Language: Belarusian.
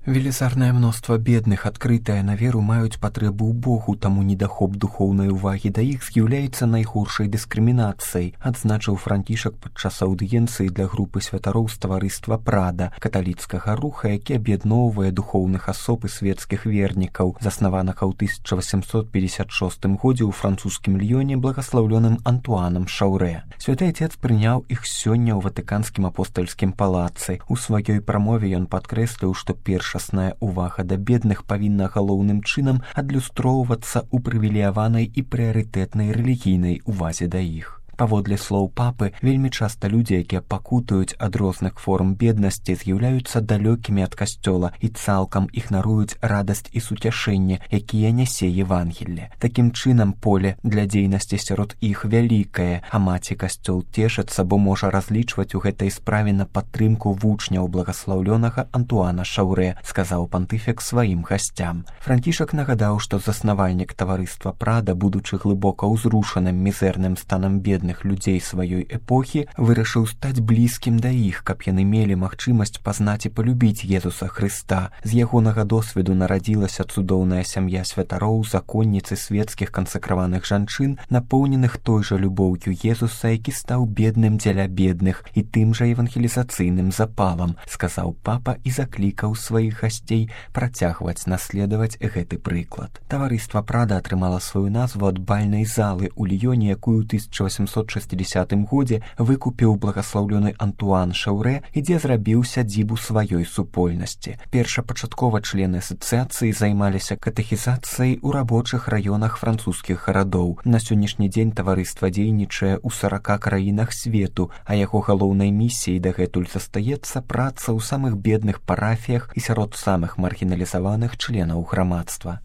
Велізарнае мноства бедных, адкрытая на веру, маюць патрэбу ў Богу, таму недахоп духоўнай увагі да іх з'яўляецца найгоршай дыскрымінацыяй, адзначыў Францішак падчас аўдыенцыі для групы святароў з таварыства Прада, каталіцкага руха, які аб'ядноўвае духоўных асоб і свецкіх вернікаў, заснаванага ў 1856 годзе ў французскім Льёне благаслаўлёным Антуанам Шаўрэ. Святы Отец прыняў іх сёння ў Ватыканскім апостальскім палацы. У сваёй прамове ён падкрэсліў, што першасная увага да бедных павінна галоўным чынам адлюстроўвацца ў прывілеяванай і прыярытэтнай рэлігійнай увазе да іх. Паводле слоў папы, вельмі часта людзі, якія пакутаюць ад розных форм беднасці, з'яўляюцца далёкімі ад касцёла і цалкам ігнаруюць радасць і суцяшэнне, якія нясе Евангелле. Такім чынам, поле для дзейнасці сярод іх вялікае, а маці касцёл цешыцца, бо можа разлічваць у гэтай справе на падтрымку вучняў благаслаўлёнага Антуана Шаўрэ, сказаў пантыфік сваім гасцям. Францішак нагадаў, што заснавальнік таварыства Прада, будучы глыбока ўзрушаным мізэрным станам бедных людзей сваёй эпохі, вырашыў стаць блізкім да іх, каб яны мелі магчымасць пазнаць і палюбіць Езуса Хрыста. З ягонага досведу нарадзілася цудоўная сям'я святароў, законніцы свецкіх кансакраваных жанчын, напоўненых той жа любоўю Езуса, які стаў бедным дзеля бедных і тым жа евангелізацыйным запалам, сказаў папа і заклікаў сваіх гасцей працягваць наследаваць гэты прыклад. Таварыства Прада атрымала сваю назву ад бальнай залы ў Льёне, якую 1860 годзе выкупіў благаслаўлёны Антуан Шаўрэ і дзе зрабіў сядзібу сваёй супольнасці. Першапачаткова члены асацыяцыі займаліся катэхізацыяй у рабочых раёнах французскіх гарадоў. На сённяшні дзень таварыства дзейнічае ў 40 краінах свету, а яго галоўнай місіяй дагэтуль застаецца праца ў самых бедных парафіях і сярод самых маргіналізаваных членаў грамадства.